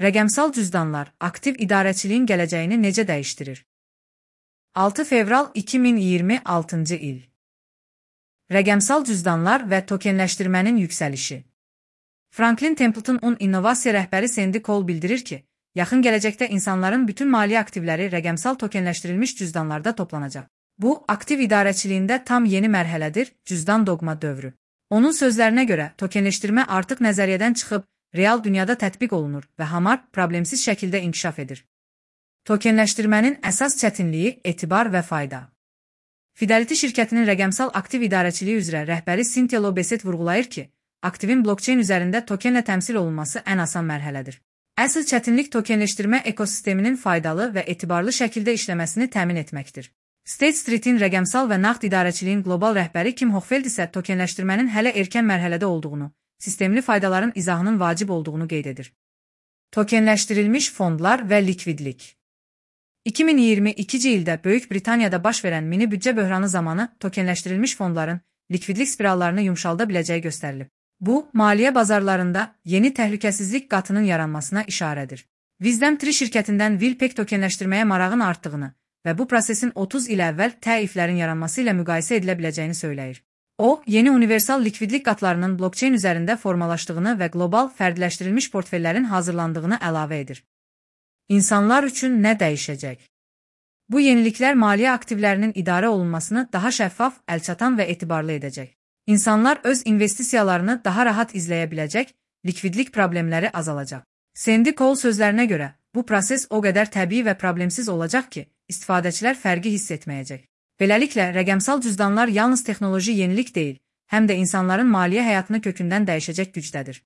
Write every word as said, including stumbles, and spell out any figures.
Rəqəmsal cüzdanlar aktiv idarəçiliyin gələcəyini necə dəyişdirir? altı fevral iki min iyirmi altıncı il. Rəqəmsal cüzdanlar və tokenləşdirmənin yüksəlişi. Franklin Templeton innovasiya rəhbəri Sandy Cole bildirir ki, yaxın gələcəkdə insanların bütün maliyyə aktivləri rəqəmsal tokenləşdirilmiş cüzdanlarda toplanacaq. Bu, aktiv idarəçiliyində tam yeni mərhələdir, cüzdan doqma dövrü. Onun sözlərinə görə, tokenləşdirmə artıq nəzəriyyədən çıxıb, real dünyada tətbiq olunur və hamar problemsiz şəkildə inkişaf edir. Tokenləşdirmənin əsas çətinliyi, etibar və fayda. Fidelity şirkətinin rəqəmsal aktiv idarəçiliyi üzrə rəhbəri Cynthia Lobeset vurğulayır ki, aktivin blockchain üzərində tokenlə təmsil olunması ən asan mərhələdir. Əsl çətinlik tokenləşdirmə ekosisteminin faydalı və etibarlı şəkildə işləməsini təmin etməkdir. State Street'in rəqəmsal və nağd idarəçiliyin qlobal rəhbəri Kim Hochfeld isə tokenləşdirmənin hələ erkən mərhələdə olduğunu, sistemli faydaların izahının vacib olduğunu qeyd edir. Tokenləşdirilmiş fondlar və likvidlik. iki min iyirmi ikinci ildə Böyük Britaniyada baş verən mini büdcə böhranı zamanı tokenləşdirilmiş fondların likvidlik spirallarını yumşalda biləcəyi göstərilib. Bu, maliyyə bazarlarında yeni təhlükəsizlik qatının yaranmasına işarədir. Wisdom Tree şirkətindən Wilpek tokenləşdirməyə marağın artdığını və bu prosesin otuz il əvvəl təiflərin yaranması ilə müqayisə edilə biləcəyini söyləyir. O, yeni universal likvidlik qatlarının blockchain üzərində formalaşdığını və qlobal fərdləşdirilmiş portfellərin hazırlandığını əlavə edir. İnsanlar üçün nə dəyişəcək? Bu yeniliklər maliyyə aktivlərinin idarə olunmasını daha şəffaf, əlçatan və etibarlı edəcək. İnsanlar öz investisiyalarını daha rahat izləyə biləcək, likvidlik problemləri azalacaq. Sandy Cole sözlərinə görə, bu proses o qədər təbii və problemsiz olacaq ki, istifadəçilər fərqi hiss etməyəcək. Beləliklə, rəqəmsal cüzdanlar yalnız texnoloji yenilik deyil, həm də insanların maliyyə həyatını kökündən dəyişəcək gücdədir.